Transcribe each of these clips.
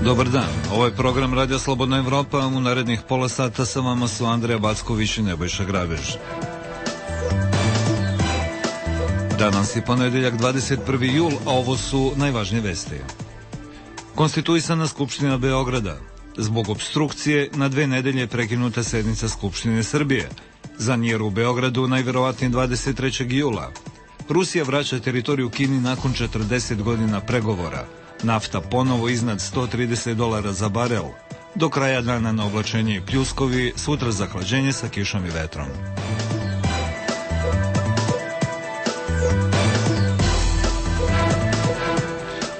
Dobar dan, ovo je program Radio Slobodna Evropa, u narednih pola sata sa vama su Andrija Backović i Nebojša Grabež. Danas je ponedeljak 21. jul, a ovo su najvažnije vesti. Konstituisana Skupština Beograda. Zbog opstrukcije na 2 nedelje je prekinuta sednica Skupštine Srbije. Za njer u Beogradu najverovatnije 23. jula. Rusija vraća teritoriju Kini nakon 40 godina pregovora. Nafta ponovo iznad $130 za barel. Do kraja dana na oblačenje i pljuskovi, sutra zahlađenje sa kišom i vetrom.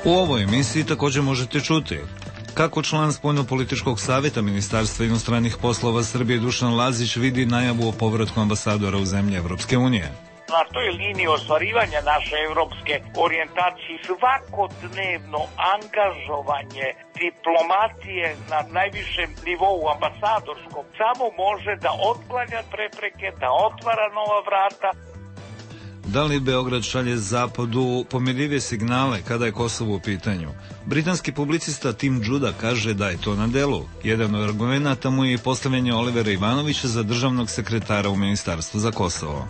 U ovoj emisiji također možete čuti kako član Spoljnopolitičkog savjeta Ministarstva inostranih poslova Srbije Dušan Lazić vidi najavu o povratku ambasadora u zemlje Evropske unije. Na toj liniji ostvarivanja naše evropske orijentacije svakodnevno angažovanje diplomatije na najvišem nivou ambasadorskom samo može da otklanja prepreke, da otvara nova vrata. Da li Beograd šalje Zapadu pomirljive signale kada je Kosovo u pitanju? Britanski publicista Tim Judah kaže da je to na delu. Jedan od argumenata mu je i postavljanje Olivera Ivanovića za državnog sekretara u Ministarstvu za Kosovo.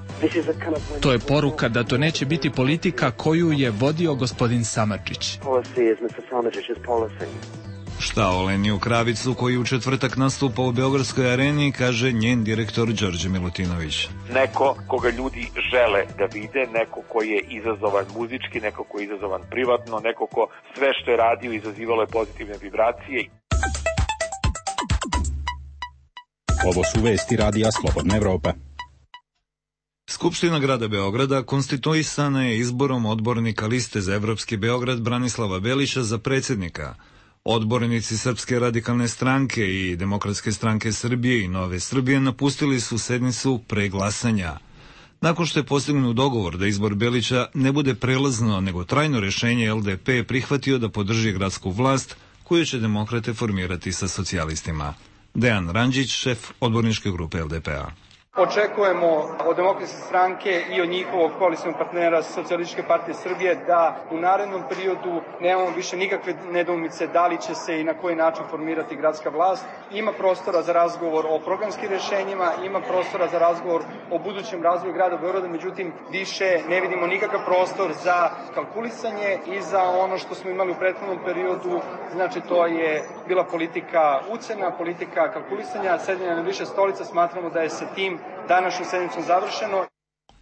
To je poruka da to neće biti politika koju je vodio gospodin Samardžić. Šta o Leniju Kravicu koji u četvrtak nastupa u Beogradskoj areni, kaže njen direktor Đorđe Milutinović. Neko koga ljudi žele da vide, neko koji je izazovan muzički, neko koji je izazovan privatno, neko ko sve što je radio izazivalo je pozitivne vibracije. Ovo su vesti Radija Slobodna Evropa. Skupština grada Beograda konstituisana je izborom odbornika liste za Evropski Beograd Branislava Belića za predsjednika. Odbornici Srpske radikalne stranke i Demokratske stranke Srbije i Nove Srbije napustili su sednicu pre glasanja. Nakon što je postignut dogovor da izbor Belića ne bude prelazno nego trajno rješenje, LDP je prihvatio da podrži gradsku vlast koju će demokrate formirati sa socijalistima. Dejan Randžić, šef odborničke grupe LDP-a. Očekujemo od Demokratske stranke i od njihovog koalicionog partnera Socijalističke partije Srbije da u narednom periodu nemamo više nikakve nedoumice da li će se i na koji način formirati gradska vlast. Ima prostora za razgovor o programskim rješenjima, ima prostora za razgovor o budućem razvoju grada Beograda, međutim više ne vidimo nikakav prostor za kalkulisanje i za ono što smo imali u prethodnom periodu, znači to je bila politika ucena, politika kalkulisanja, sedenja na više stolica. Smatramo da je sa tim današnju sednicu završeno.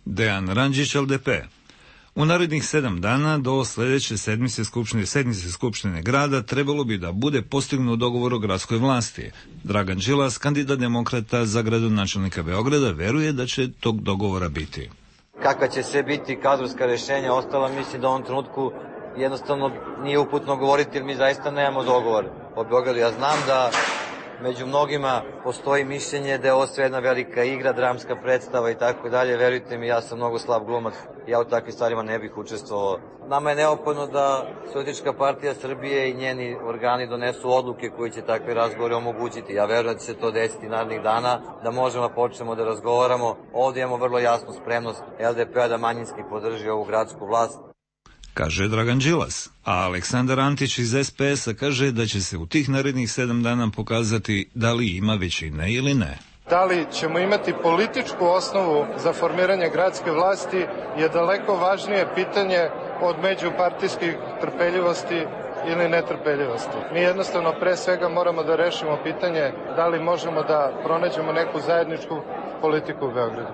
Dejan Randžić, LDP. U narednih 7 dana do sljedeće sedmice Skupštine grada trebalo bi da bude postignut dogovor o gradskoj vlasti. Dragan Đilas, kandidat demokrata za gradonačelnika Beograda, veruje da će tog dogovora biti. Kakva će sve biti kadrovska rješenja ostala, mislim da u ovom trenutku jednostavno nije uputno govoriti jer mi zaista nemamo dogovor o Beogradu. Ja znam da među mnogima postoji mišljenje da je ovo sve jedna velika igra, dramska predstava i tako dalje. Verujte mi, ja sam mnogo slab glumac, ja u takvim stvarima ne bih učestvovao. Nama je neophodno da Socijalistička partija Srbije i njeni organi donesu odluke koji će takve razgovore omogućiti. Ja verujem da će se to desiti narednih dana, da možemo da počnemo da razgovaramo. Ovdje imamo vrlo jasnu spremnost LDP-a da manjinski podrži ovu gradsku vlast, kaže Dragan Đilas, a Aleksandar Antić iz SPS-a kaže da će se u tih narednih 7 dana pokazati da li ima većine ili ne. Da li ćemo imati političku osnovu za formiranje gradske vlasti je daleko važnije pitanje od međupartijskih trpeljivosti ili netrpeljivosti. Mi jednostavno pre svega moramo da rešimo pitanje da li možemo da pronađemo neku zajedničku politiku u Beogradu.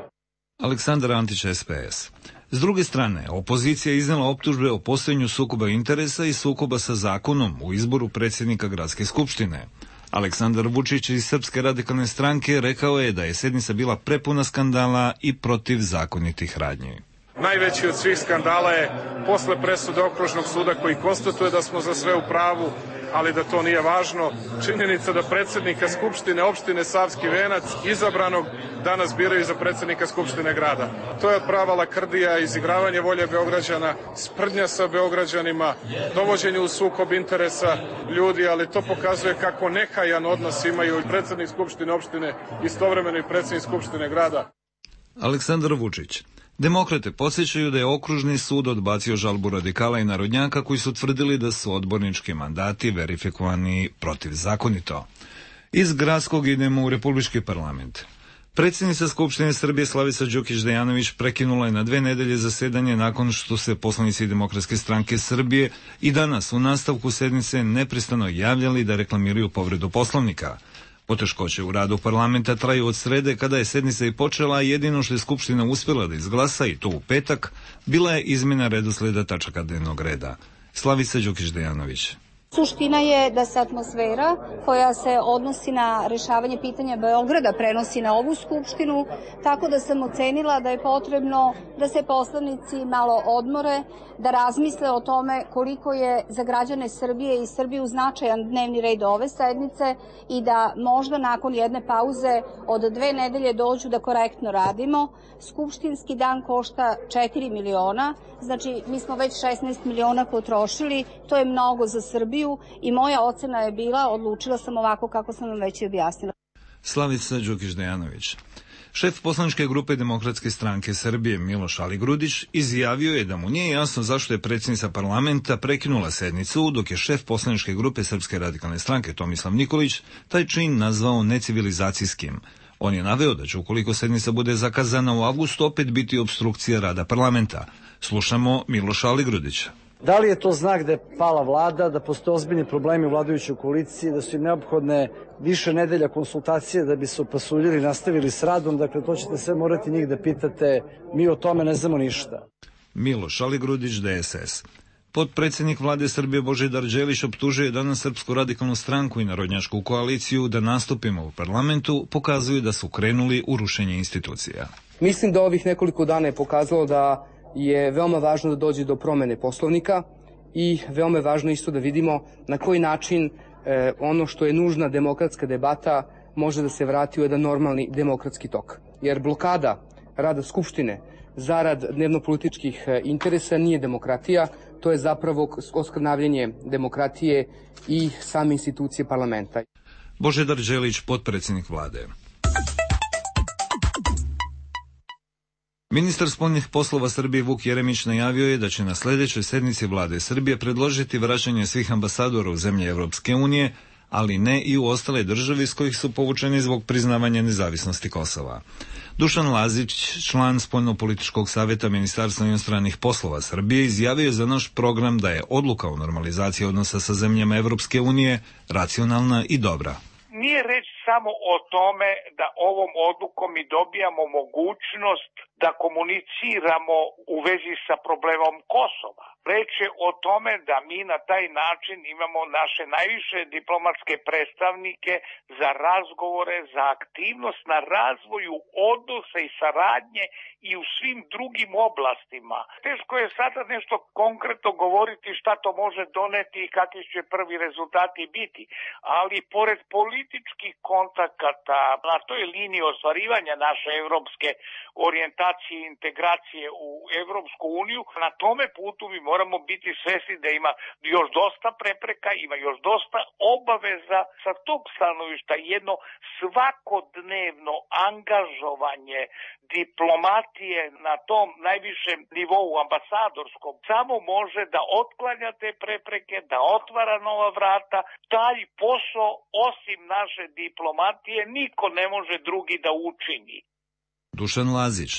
Aleksandar Antić, SPS. S druge strane, opozicija je iznela optužbe o postojanju sukoba interesa i sukoba sa zakonom u izboru predsjednika gradske skupštine. Aleksandar Vučić iz Srpske radikalne stranke rekao je da je sednica bila prepuna skandala i protivzakonitih radnji. Najveći od svih skandala je posle presude Okružnog suda koji konstatuje da smo za sve u pravu, ali da to nije važno. Činjenica da predsjednika Skupštine opštine Savski Venac, izabranog, danas biraju za predsjednika Skupštine grada. To je prava lakrdija, izigravanje volje Beograđana, sprdnja sa Beograđanima, dovođenje u sukob interesa ljudi, ali to pokazuje kako nehajan odnos imaju i predsjednik Skupštine opštine, istovremeno i predsjednik Skupštine grada. Aleksandar Vučić. Demokrate podsjećaju da je okružni sud odbacio žalbu radikala i narodnjaka koji su tvrdili da su odbornički mandati verifikovani protivzakonito. Iz gradskog idemo u Republički parlament. Predsjednica Skupštine Srbije Slavica Đukić-Dejanović prekinula je na 2 nedelje zasedanje nakon što se poslanici Demokratske stranke Srbije i danas u nastavku sednice neprestano javljali da reklamiraju povredu Poslovnika. Poteškoće u radu parlamenta traju od srede kada je sednica i počela, a jedino što je Skupština uspjela da izglasa, i to u petak, bila je izmjena redosleda tačaka dnevnog reda. Slavica Đukić-Dejanović. Suština je da se atmosfera koja se odnosi na rešavanje pitanja Beograda prenosi na ovu skupštinu, tako da sam ocenila da je potrebno da se poslanici malo odmore, da razmisle o tome koliko je za građane Srbije i Srbiju značajan dnevni red ove sednice i da možda nakon jedne pauze od 2 nedelje dođu da korektno radimo. Skupštinski dan košta 4 miliona, znači mi smo već 16 miliona potrošili, to je mnogo za Srbiju i moja ocena je bila, odlučila sam ovako kako sam vam već i objasnila. Slavica Đukić-Dejanović. Šef poslaničke grupe Demokratske stranke Srbije Miloš Aligrudić izjavio je da mu nije jasno zašto je predsjednica parlamenta prekinula sednicu, dok je šef poslaničke grupe Srpske radikalne stranke Tomislav Nikolić taj čin nazvao necivilizacijskim. On je naveo da će, ukoliko sednica bude zakazana u avgustu, opet biti opstrukcija rada parlamenta. Slušamo Miloša Aligrudića. Da li je to znak da je pala vlada, da postoje ozbiljni problemi u vladajućoj koaliciji, da su im neophodne više nedelja konsultacije da bi se opasuljili i nastavili s radom? Dakle, to ćete sve morati njih da pitate, mi o tome ne znamo ništa. Miloš Aligrudić, DSS. Potpredsjednik vlade Srbije Božidar Đelić optužuje danas Srpsku radikalnu stranku i narodnjačku koaliciju da nastupima u parlamentu pokazuju da su krenuli u rušenje institucija. Mislim da ovih nekoliko dana je pokazalo da je veoma važno da dođe do promene Poslovnika i veoma je važno isto da vidimo na koji način ono što je nužna demokratska debata može da se vrati u jedan normalni demokratski tok. Jer blokada rada Skupštine zarad dnevnopolitičkih interesa nije demokratija, to je zapravo oskrnavljanje demokratije i same institucije parlamenta. Božidar Đelić, potpredsjednik vlade. Ministar spoljnih poslova Srbije Vuk Jeremić najavio je da će na sljedećoj sednici vlade Srbije predložiti vraćanje svih ambasadora u zemlje Evropske unije, ali ne i u ostale države iz kojih su povučeni zbog priznavanja nezavisnosti Kosova. Dušan Lazić, član Spoljnopolitičkog savjeta Ministarstva inostranih poslova Srbije, izjavio je za naš program da je odluka o normalizaciji odnosa sa zemljama Evropske unije racionalna i dobra. Nije reč samo o tome da ovom odlukom mi dobijamo mogućnost da komuniciramo u vezi sa problemom Kosova. Reč je o tome da mi na taj način imamo naše najviše diplomatske predstavnike za razgovore, za aktivnost na razvoju odnosa i saradnje i u svim drugim oblastima. Teško je sada nešto konkretno govoriti šta to može doneti i kakvi će prvi rezultati biti, ali pored političkih kontakata na toj liniji ostvarivanja naše evropske orijentacije i integracije u Evropsku uniju, na tome putu mi moramo biti svesni da ima još dosta prepreka, ima još dosta obaveza. Sa tog stanovišta jedno svakodnevno angažovanje diplomatije na tom najvišem nivou ambasadorskom samo može da otklanja te prepreke, da otvara nova vrata. Taj posao osim naše diplomatije niko ne može drugi da učini. Dušan Lazić.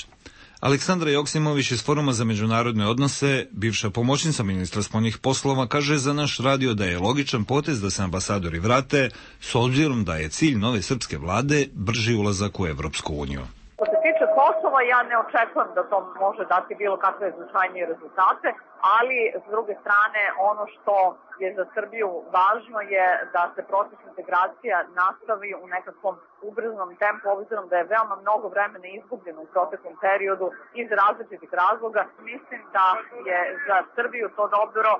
Aleksandra Joksimović iz Foruma za međunarodne odnose, bivša pomoćnica ministra spoljnih poslova, kaže za naš radio da je logičan potez da se ambasadori vrate, s obzirom da je cilj nove srpske vlade brži ulazak u Evropsku uniju. Što se tiče Kosova, ja ne očekujem da to može dati bilo kakve značajnije rezultate, ali s druge strane ono što je za Srbiju važno je da se proces integracija nastavi u nekakvom ubrzanom tempu, obzirom da je veoma mnogo vremena izgubljeno u proteklom periodu iz različitih razloga. Mislim da je za Srbiju to dobro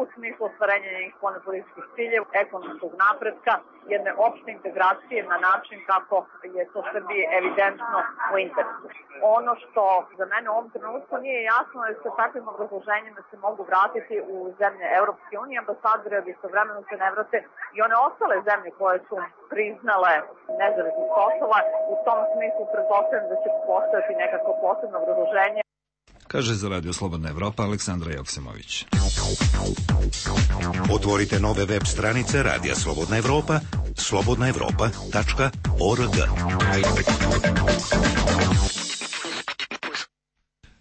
u smislu ostvarenja njenih spoljnopolitičkih ciljeva, ekonomskog napretka, jedne opšte integracije na način kako je to Srbije evidentno u interesu. Ono što za mene u ovom trenutku nije jasno je sa takvim obrazloženjima se mogu vratiti u zemlje Evropske unije, ambasadori, ali istovremeno se ne vrate i one ostale zemlje koje su priznale nezavisnost Kosova. U tom smislu pretpostavljam da će postojati nekako posebno obrazloženje. kaže za Radio Slobodna Evropa Aleksandra Joksimović. Otvorite nove web stranice Radija Slobodna Evropa, slobodnaevropa.org.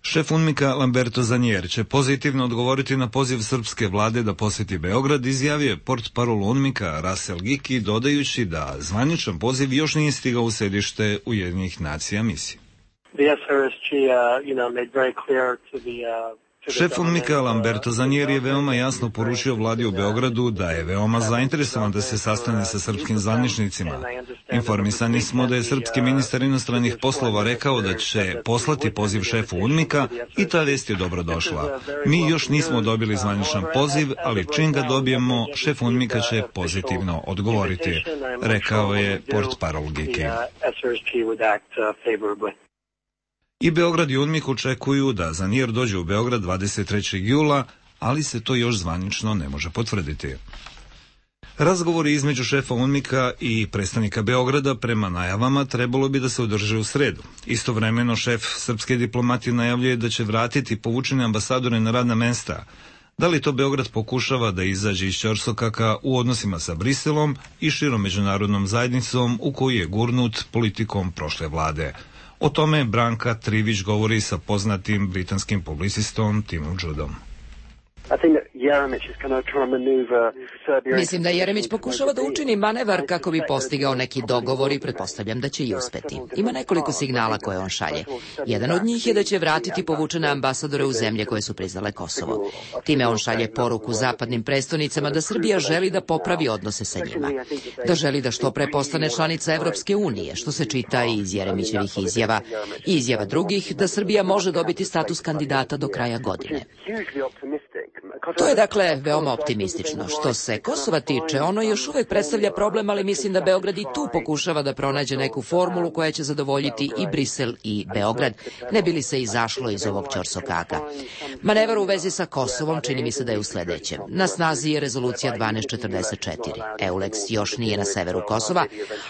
Šef UNMIK-a Lamberto Zanjer će pozitivno odgovoriti na poziv srpske vlade da poseti Beograd, izjavio je portparol UNMIK-a Russell Giki, dodajući da zvaničan poziv još nije stigao u sedište Ujedinjenih nacija misije. Šef UNMIK-a Lamberto Zanjer je veoma jasno poručio vladi u Beogradu da je veoma zainteresovan da se sastane sa srpskim zvaničnicima. Informisani smo da je srpski ministar inostranih poslova rekao da će poslati poziv šefu UNMIK-a i ta vest je dobrodošla. Mi još nismo dobili zvaničan poziv, ali čim ga dobijemo, šef UNMIK-a će pozitivno odgovoriti, rekao je portparol Giki. I Beograd i UNMIK očekuju da Zanjer dođe u Beograd 23. jula, ali se to još zvanično ne može potvrditi. Razgovori između šefa UNMIK-a i predstavnika Beograda prema najavama trebalo bi da se održe u sredu. Istovremeno šef srpske diplomatije najavljuje da će vratiti povučene ambasadore na radna mesta. Da li to Beograd pokušava da izađe iz ćorsokaka u odnosima sa Briselom i širom međunarodnom zajednicom u koju je gurnut politikom prošle vlade? O tome Branka Trivić govori sa poznatim britanskim publicistom Timom Judom. Mislim da Jeremić pokušava da učini manevar kako bi postigao neki dogovor i pretpostavljam da će i uspeti. Ima nekoliko signala koje on šalje. Jedan od njih je da će vratiti povučene ambasadore u zemlje koje su priznale Kosovo. Time on šalje poruku zapadnim prestonicama da Srbija želi da popravi odnose sa njima. Da želi da što pre postane članica Evropske unije, što se čita i iz Jeremićevih izjava i izjava drugih da Srbija može dobiti status kandidata do kraja godine. To je dakle veoma optimistično. Što se Kosova tiče, ono još uvek predstavlja problem, ali mislim da Beograd i tu pokušava da pronađe neku formulu koja će zadovoljiti i Brisel i Beograd, ne bi li se izašlo iz ovog ćorsokaka. Manevar u vezi sa Kosovom čini mi se da je u sledećem. Na snazi je rezolucija 1244. EULEX još nije na severu Kosova,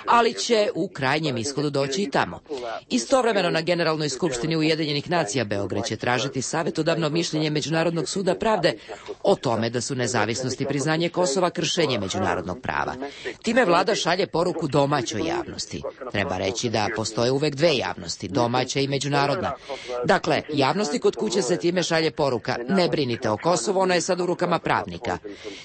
ali će u krajnjem ishodu doći i tamo. Istovremeno na Generalnoj skupštini Ujedinjenih nacija Beograd će tražiti savetodavno mišljenje Međunarodnog suda pravde o tome da su nezavisnost i priznanje Kosova kršenje međunarodnog prava. Time vlada šalje poruku domaćoj javnosti. Treba reći da postoje uvek dve javnosti, domaća i međunarodna. Dakle, javnosti kod kuće se time šalje poruka, ne brinite o Kosovu, ono je sad u rukama pravnika.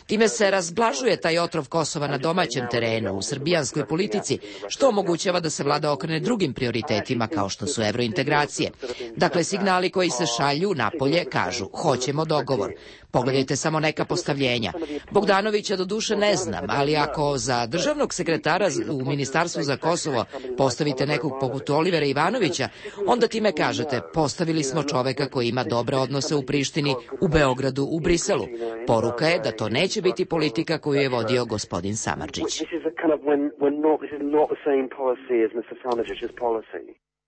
Time se razblažuje taj otrov Kosova na domaćem terenu, u srbijanskoj politici, što omogućava da se vlada okrene drugim prioritetima kao što su evrointegracije. Dakle, signali koji se šalju napolje kažu, hoćemo dogovor. Pogledajte samo neka postavljenja. Bogdanovića do duše ne znam, ali ako za državnog sekretara u Ministarstvu za Kosovo postavite nekog poput Olivera Ivanovića, onda time kažete, postavili smo čoveka koji ima dobre odnose u Prištini, u Beogradu, u Briselu. Poruka je da to neće biti politika koju je vodio gospodin Samardžić.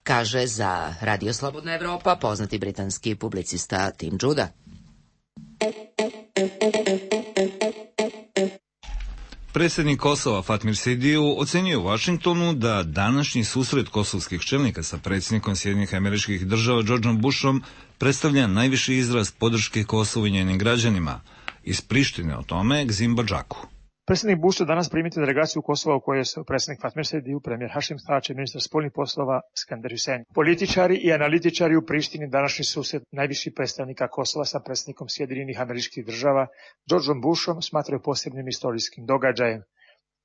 Kaže za Radio Slobodna Evropa poznati britanski publicista Tim Juda. Predsjednik Kosova Fatmir Sidiju ocenio u Vašingtonu da današnji susret kosovskih čelnika sa predsjednikom Sjedinjenih Američkih Država Georgeom Bushom predstavlja najviši izraz podrške Kosovu i njenim građanima. Iz Prištine o tome Gzim Badžaku. Predsjednik Bush će danas primiti delegaciju Kosova u kojoj je predsjednik Fatmir Sidiju, premijer Hašim Tači, ministar spoljnih poslova Skender Hüseyin. Političari i analitičari u Prištini današnji susret najviših predstavnika Kosova sa predsjednikom Sjedinjenih Američkih Država Georgeom Bushom smatraju posebnim istorijskim događajem.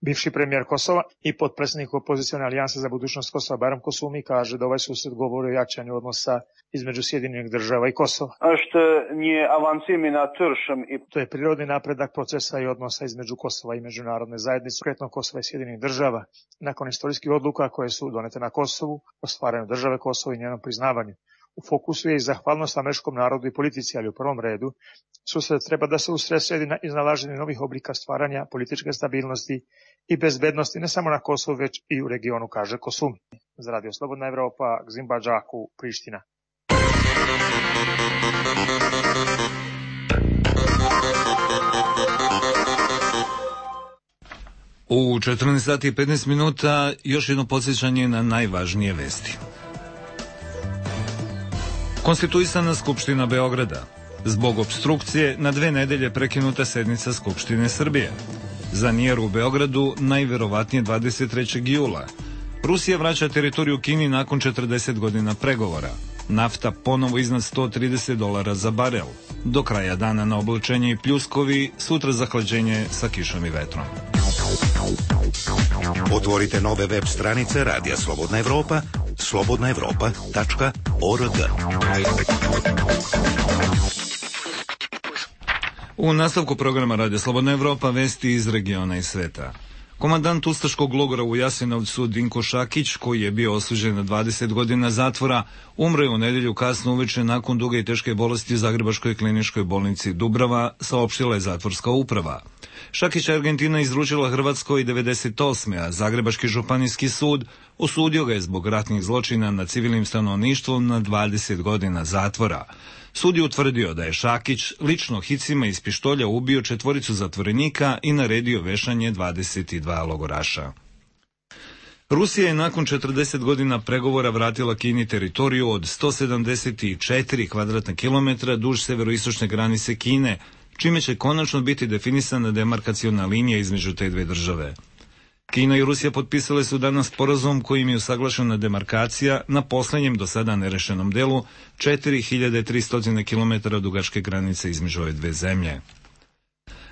Bivši premijer Kosova i potpredsjednik opozicione alijanse za budućnost Kosova Bayram Kosumi kaže da ovaj susret govori o jačanju odnosa između Sjedinjenih Država i Kosova. To je prirodni napredak procesa i odnosa između Kosova i međunarodne zajednice, konkretno Kosova i Sjedinjenih Država, nakon istorijskih odluka koje su donete na Kosovu, o stvaranju države Kosova i njenom priznavanju. U fokusu je i zahvalnost američkom narodu i politici, ali u prvom redu susret treba da se usredsredi na iznalaženje novih oblika stvaranja političke stabilnosti i bezbednosti ne samo na Kosovu, već i u regionu, kaže Kosum. Za Radio Slobodna Evropa, Gzim Badžaku, Priština. U 14 sati i 15 minuta još jedno podsjećanje na najvažnije vesti. Konstituisana Skupština Beograda. Zbog opstrukcije na 2 nedelje prekinuta sednica Skupštine Srbije. Zanijer u Beogradu najverovatnije 23. jula. Rusija vraća teritoriju Kini nakon 40 godina pregovora. Nafta ponovo iznad $130 za barel. Do kraja dana na oblačenje i pljuskovi, sutra zahlađenje sa kišom i vetrom. Otvorite nove web stranice Radija Slobodna Evropa, slobodnaevropa.org. U nastavku programa Radija Slobodna Evropa vesti iz regiona i sveta. Komandant ustaškog logora u Jasenovcu Dinko Šakić, koji je bio osuđen na 20 godina zatvora, umro je u nedelju kasno uveče nakon duge i teške bolesti u Zagrebačkoj kliničkoj bolnici Dubrava, saopštila je zatvorska uprava. Šakića Argentina izručila Hrvatskoj 98. a Zagrebački županijski sud osudio ga je zbog ratnih zločina nad civilnim stanovništvom na 20 godina zatvora. Sud je utvrdio da je Šakić lično hicima iz pištolja ubio 4 zatvorenika i naredio vešanje 22 logoraša. Rusija je nakon 40 godina pregovora vratila Kini teritoriju od 174 kvadratna kilometra duž severoistočne granice Kine, čime će konačno biti definisana demarkaciona linija između te dve države. Kina i Rusija potpisale su danas sporazum kojim je usaglašena demarkacija na poslednjem do sada nerešenom delu 4300 km dugačke granice između ove dve zemlje.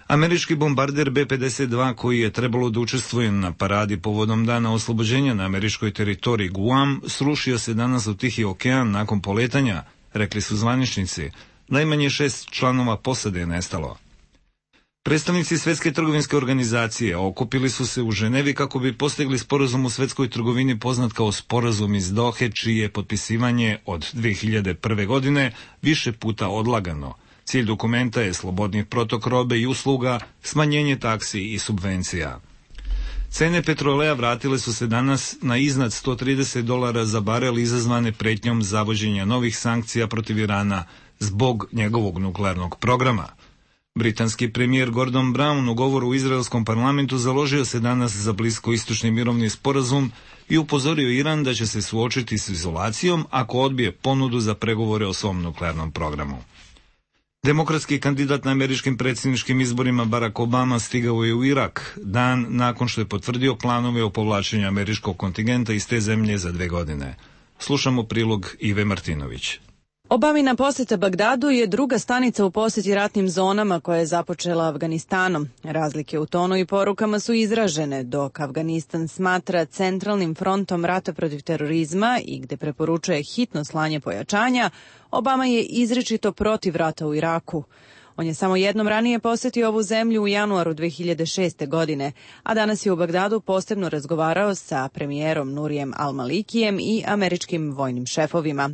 Američki bombarder B-52 koji je trebalo da učestvuje na paradi povodom dana oslobođenja na američkoj teritoriji Guam srušio se danas u Tihi okean nakon poletanja, rekli su zvaničnici. Najmanje 6 članova posade je nestalo. Predstavnici Svetske trgovinske organizacije okupili su se u Ženevi kako bi postigli sporazum u svetskoj trgovini poznat kao sporazum iz Dohe, čije je potpisivanje od 2001. godine više puta odlagano. Cilj dokumenta je slobodni protok robe i usluga, smanjenje taksi i subvencija. Cene petroleja vratile su se danas na iznad $130 za barel izazvane pretnjom zavođenja novih sankcija protiv Irana zbog njegovog nuklearnog programa. Britanski premijer Gordon Brown u govoru u izraelskom parlamentu založio se danas za bliskoistočni mirovni sporazum i upozorio Iran da će se suočiti s izolacijom ako odbije ponudu za pregovore o svom nuklearnom programu. Demokratski kandidat na američkim predsjedničkim izborima Barack Obama stigao je u Irak, dan nakon što je potvrdio planove o povlačenju američkog kontingenta iz te zemlje za 2 godine. Slušamo prilog Ive Martinović. Obamina poseta Bagdadu je druga stanica u poseti ratnim zonama koja je započela Afganistanom. Razlike u tonu i porukama su izražene, dok Afganistan smatra centralnim frontom rata protiv terorizma i gde preporučuje hitno slanje pojačanja, Obama je izričito protiv rata u Iraku. On je samo jednom ranije posetio ovu zemlju u januaru 2006. godine, a danas je u Bagdadu posebno razgovarao sa premijerom Nurijem Al-Malikijem i američkim vojnim šefovima.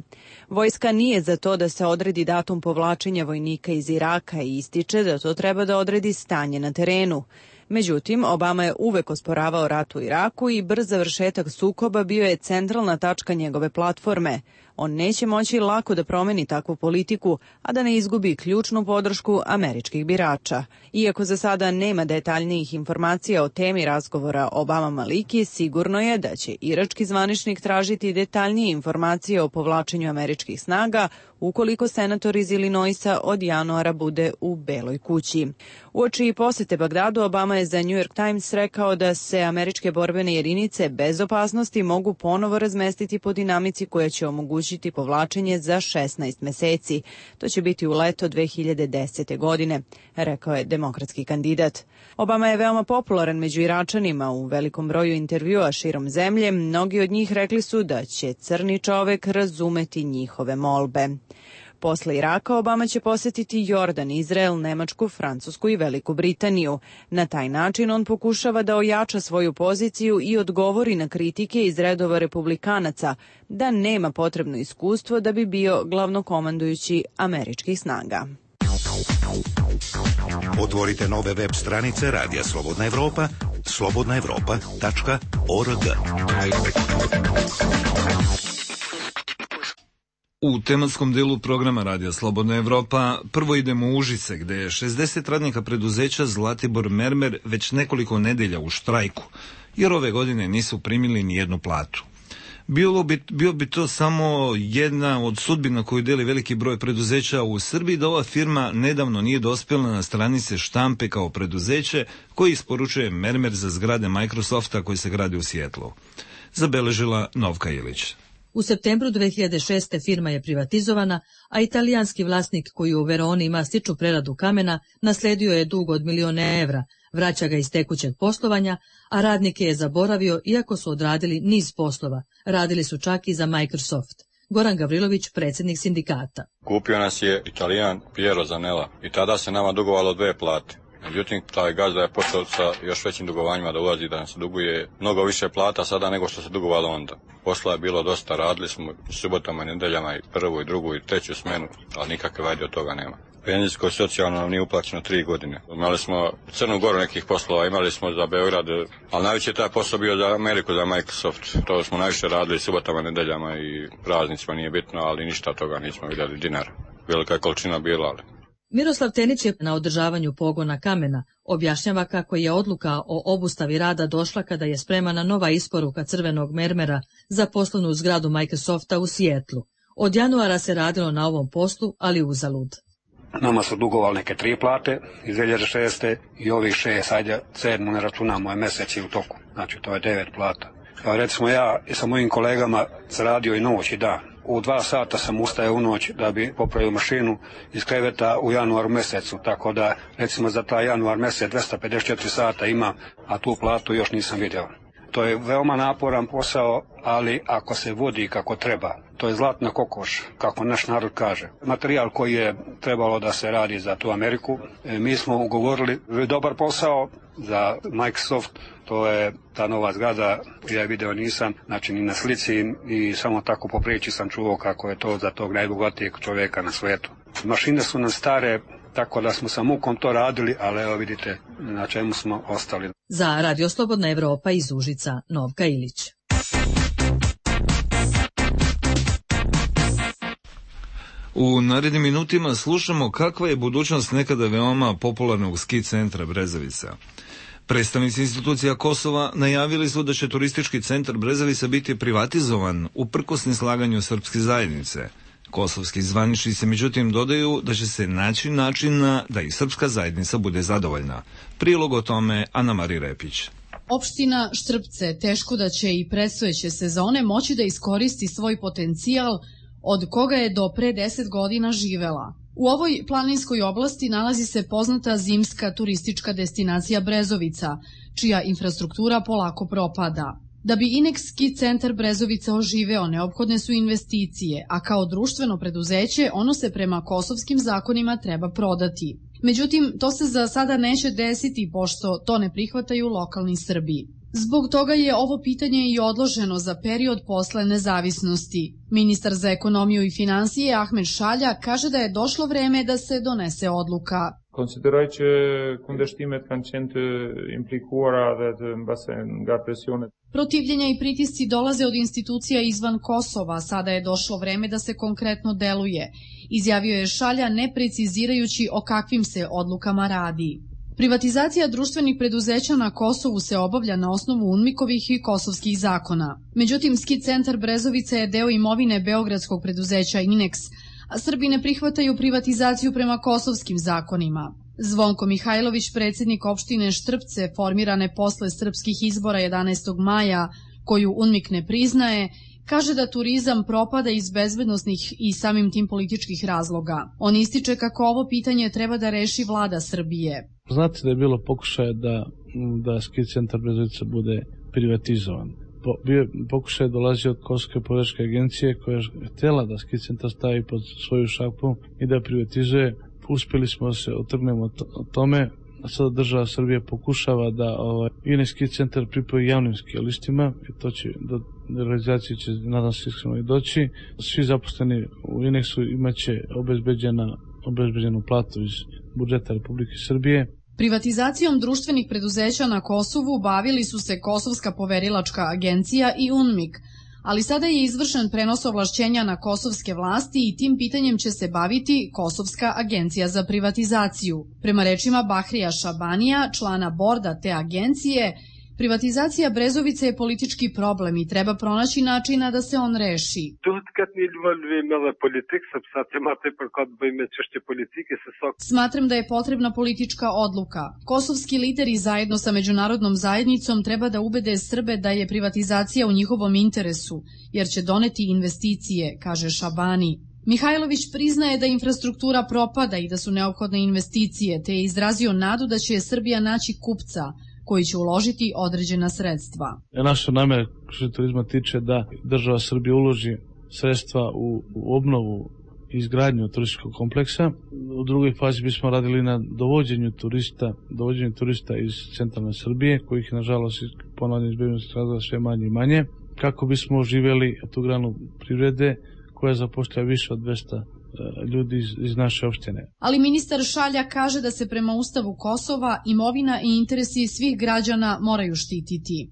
Vojska nije za to da se odredi datum povlačenja vojnika iz Iraka i ističe da to treba da odredi stanje na terenu. Međutim, Obama je uvek osporavao rat u Iraku i brz završetak sukoba bio je centralna tačka njegove platforme. On neće moći lako da promeni takvu politiku, a da ne izgubi ključnu podršku američkih birača. Iako za sada nema detaljnijih informacija o temi razgovora Obama-Maliki, sigurno je da će irački zvaničnik tražiti detaljnije informacije o povlačenju američkih snaga ukoliko senator iz Illinoisa od januara bude u Beloj kući. Uoči posete Bagdadu, Obama je za New York Times rekao da se američke borbene jedinice bez opasnosti mogu ponovo razmestiti po dinamici koja će omogućiti povlačenje za 16 meseci. To će biti u leto 2010. godine, rekao je demokratski kandidat. Obama je veoma popularan među Iračanima u velikom broju intervjua širom zemlje. Mnogi od njih rekli su da će crni čovek razumeti njihove molbe. Posle Iraka Obama će posetiti Jordan, Izrael, Nemačku, Francusku i Veliku Britaniju. Na taj način on pokušava da ojača svoju poziciju i odgovori na kritike iz redova republikanaca da nema potrebno iskustvo da bi bio glavnokomandujući američkih snaga. Otvorite nove web stranice Radija Slobodna Evropa, slobodnaevropa.org. U tematskom delu programa Radija Slobodna Evropa prvo idemo u Užice, gde je 60 radnika preduzeća Zlatibor Mermer već nekoliko nedelja u štrajku, jer ove godine nisu primili ni jednu platu. Bio bi to samo jedna od sudbina koju deli veliki broj preduzeća u Srbiji, da ova firma nedavno nije dospjela na stranice štampe kao preduzeće koji isporučuje mermer za zgrade Microsofta koji se gradi u Sijetlu. Zabeležila Novka Ilić. U septembru 2006. firma je privatizovana, a italijanski vlasnik koji u Veroni ima stiču preradu kamena nasledio je dug od €1.000.000, vraća ga iz tekućeg poslovanja, a radnike je zaboravio iako su odradili niz poslova. Radili su čak i za Microsoft. Goran Gavrilović, predsjednik sindikata. Kupio nas je Italijan Piero Zanella i tada se nama dugovalo 2 plate. Međutim, taj gazda je počeo sa još većim dugovanjima da ulazi, da nam se duguje mnogo više plata sada nego što se dugovalo onda. Posla je bilo dosta, radili smo subotama i nedeljama i prvu i drugu i treću smenu, ali nikakve vajde od toga nema. Penzijsko i socijalno nam nije uplaćeno 3 godine. Imali smo Crnu Goru nekih poslova, imali smo za Beograd, ali najveći je taj posao bio za Ameriku, za Microsoft. To smo najviše radili subotama, nedeljama i praznicima, nije bitno, ali ništa od toga nismo vidjeli dinar. Velika je količina bila, ali... Miroslav Tenić je na održavanju pogona kamena objašnjava kako je odluka o obustavi rada došla kada je spremana nova isporuka crvenog mermera za poslovnu zgradu Microsofta u Sijetlu. Od januara se radilo na ovom poslu, ali uzalud. Nama su dugovali neke 3 plate iz 2006. i ovih 6, ajde 7 ne računamo, je mesec u toku. Znači to je 9 plata. Recimo ja sa mojim kolegama radio i noć i dan. U 2 sata sam ustao u noć da bi popravio mašinu iz kreveta u januaru mesecu, tako da recimo za taj januar mesec 254 sata imam, a tu platu još nisam vidio. To je veoma naporan posao, ali ako se vodi kako treba, to je zlatna kokoš, kako naš narod kaže. Materijal koji je trebalo da se radi za tu Ameriku, mi smo ugovorili dobar posao za Microsoft, to je ta nova zgrada, ja je video nisam, znači ni na slici i samo tako po priči sam čuo kako je to za tog najbogatijeg čovjeka na svijetu. Mašine su nam stare, tako da smo sa mukom to radili, ali evo vidite na čemu smo ostali. Za Radio Slobodna Evropa iz Užica, Novka Ilić. U narednim minutima slušamo kakva je budućnost nekada veoma popularnog ski centra Brezovica. Predstavnici institucija Kosova najavili su da će turistički centar Brezovica biti privatizovan uprkos neslaganju srpske zajednice. Kosovski zvaničnici međutim dodaju da će se naći načina da i srpska zajednica bude zadovoljna. Prilog o tome Ana Mari Repić. Opština Štrpce teško da će i predstojeće sezone moći da iskoristi svoj potencijal od koga je do pre 10 godina živela. U ovoj planinskoj oblasti nalazi se poznata zimska turistička destinacija Brezovica, čija infrastruktura polako propada. Da bi Inex ski centar Brezovica oživeo, neophodne su investicije, a kao društveno preduzeće ono se prema kosovskim zakonima treba prodati. Međutim, to se za sada neće desiti, pošto to ne prihvataju lokalni Srbi. Zbog toga je ovo pitanje i odloženo za period posle nezavisnosti. Ministar za ekonomiju i finansije Ahmed Šalja kaže da je došlo vreme da se donese odluka. Consideroj që kundërshtimet kanë qenë të implikuara dhe të mbase nga presione. Protivljenja i pritisci dolaze od institucija izvan Kosova, sada je došlo vreme da se konkretno deluje, izjavio je Šalja ne precizirajući o kakvim se odlukama radi. Privatizacija društvenih preduzeća na Kosovu se obavlja na osnovu UNMIK-ovih i kosovskih zakona. Međutim, ski centar Brezovica je deo imovine beogradskog preduzeća Inex, a Srbi ne prihvataju privatizaciju prema kosovskim zakonima. Zvonko Mihajlović, predsjednik opštine Štrpce, formirane posle srpskih izbora 11. maja, koju UNMIK ne priznaje, kaže da turizam propada iz bezbednosnih i samim tim političkih razloga. On ističe kako ovo pitanje treba da reši vlada Srbije. Znate da je bilo pokušaja da ski centar Brezovica bude privatizovan. Pokušaj dolazi od Kosovske političke agencije koja je htjela da ski centar stavi pod svoju šapu i da privatizuje. Uspjeli smo se otrgnemo od tome, a sada država Srbije pokušava da Inex ski centar pripoji javnim skijalistima i to će do realizacije će nadam se iskreno i doći. Svi zaposleni u Inexu imaće obezbeđenu platu iz budžeta Republike Srbije. Privatizacijom društvenih preduzeća na Kosovu bavili su se Kosovska poverilačka agencija i UNMIK, ali sada je izvršen prenos ovlašćenja na kosovske vlasti i tim pitanjem će se baviti Kosovska agencija za privatizaciju. Prema rečima Bahrija Šabanija, člana borda te agencije, Privatizacija Brezovice je politički problem i treba pronaći načina da se on reši. Smatram da je potrebna politička odluka. Kosovski lideri zajedno sa međunarodnom zajednicom treba da ubede Srbe da je privatizacija u njihovom interesu, jer će doneti investicije, kaže Šabani. Mihajlović priznaje da infrastruktura propada i da su neophodne investicije, te je izrazio nadu da će Srbija naći kupca koji će uložiti određena sredstva. Naša namera što se turizma tiče da država Srbije uloži sredstva u obnovu i izgradnju turističkog kompleksa. U drugoj fazi bismo radili na dovođenju turista iz centralne Srbije, kojih nažalost ponavljam iz bezbednosnih razloga sve manje i manje, kako bismo oživjeli tu granu privrede koja zapošljava više od 200 ljudi iz naše opštine. Ali ministar Šalja kaže da se prema Ustavu Kosova imovina i interesi svih građana moraju štititi.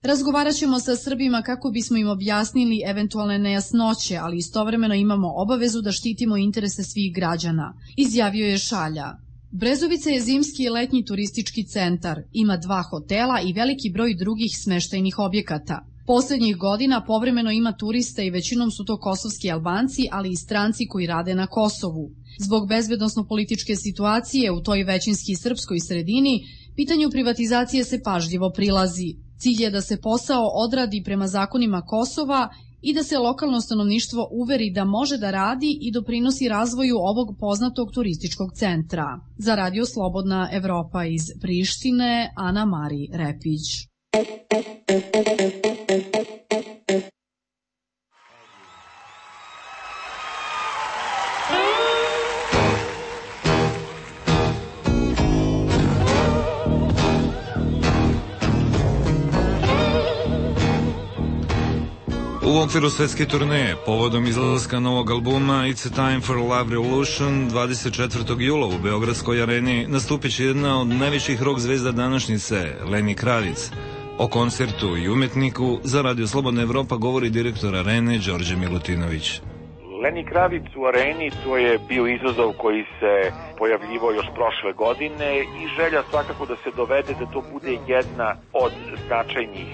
Razgovarat ćemo sa Srbima kako bismo im objasnili eventualne nejasnoće, ali istovremeno imamo obavezu da štitimo interese svih građana, izjavio je Šalja. Brezovica je zimski i letnji turistički centar, ima 2 hotela i veliki broj drugih smeštajnih objekata. Poslednjih godina povremeno ima turista i većinom su to kosovski Albanci, ali i stranci koji rade na Kosovu. Zbog bezbednosno-političke situacije u toj većinski srpskoj sredini, pitanju privatizacije se pažljivo prilazi. Cilj je da se posao odradi prema zakonima Kosova i da se lokalno stanovništvo uveri da može da radi i doprinosi razvoju ovog poznatog turističkog centra. Za Radio Slobodna Evropa iz Prištine, Ana Mari Repić. U okviru svetske turneje, povodom izlaska novog albuma It's a Time for Love Revolution, 24. jula u Beogradskoj areni nastupit će jedna od najvećih rock zvezda današnjice, Lenny Kravitz. O koncertu i umetniku za Radio Slobodna Evropa govori direktor arene Đorđe Milutinović. Lenny Kravitz u areni, to je bio izazov koji se pojavljivao još prošle godine i želja svakako da se dovede da to bude jedna od značajnih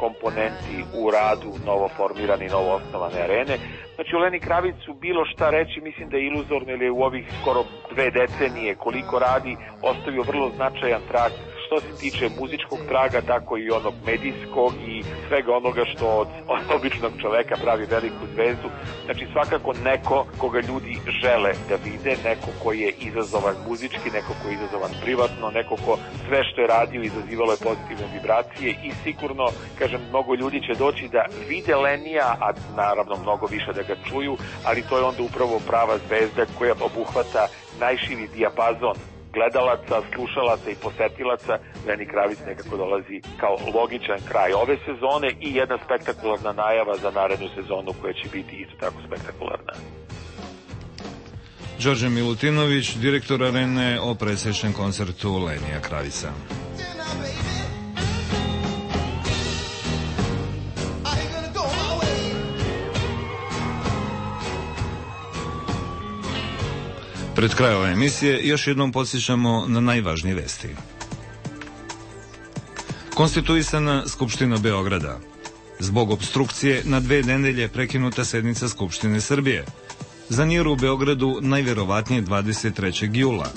komponenti u radu novoformirane i novoosnovane arene. Znači u Lenny Kravitzu bilo šta reći mislim da je iluzorno, jer je u ovih skoro 2 decenije koliko radi ostavio vrlo značajan trag što se tiče muzičkog traga, tako i onog medijskog i svega onoga što od običnog čoveka pravi veliku zvezdu. Znači svakako neko koga ljudi žele da vide, neko koji je izazovan muzički, neko koji je izazovan privatno, neko ko sve što je radio izazivalo je pozitivne vibracije i sigurno, kažem, mnogo ljudi će doći da vide Lenija, a naravno mnogo više da ga čuju, ali to je onda upravo prava zvezda koja obuhvata najširi dijapazon gledalaca, slušalaca i posetilaca. Lenny Kravitz nekako dolazi kao logičan kraj ove sezone i jedna spektakularna najava za narednu sezonu koja će biti isto tako spektakularna. Đorđe Milutinović, direktor arene, o presečnom koncertu Lenija Kravitza. Pred kraj ove emisije još jednom podsjećamo na najvažnije vesti. Konstituisana Skupština Beograda. Zbog obstrukcije na 2 nedelje prekinuta sednica Skupštine Srbije. Za mir u Beogradu najverovatnije 23. jula.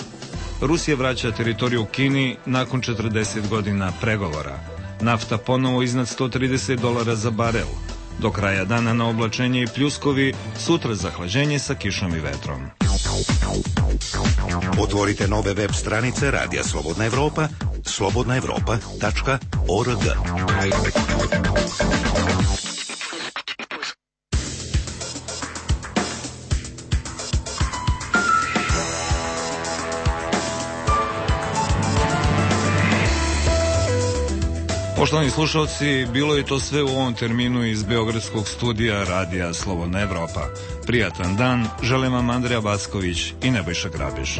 Rusija vraća teritoriju Kini nakon 40 godina pregovora. Nafta ponovo iznad $130 za barel. Do kraja dana na oblačenje i pljuskovi, sutra zahlađenje sa kišom i vetrom. Otvorite nove web stranice Radija Slobodna Evropa, slobodnaevropa.org. Poštovani slušalci, bilo je to sve u ovom terminu iz Beogradskog studija Radija Slobodna Evropa. Prijatan dan, želim vam Andreja Backović i Nebojša Grabiš.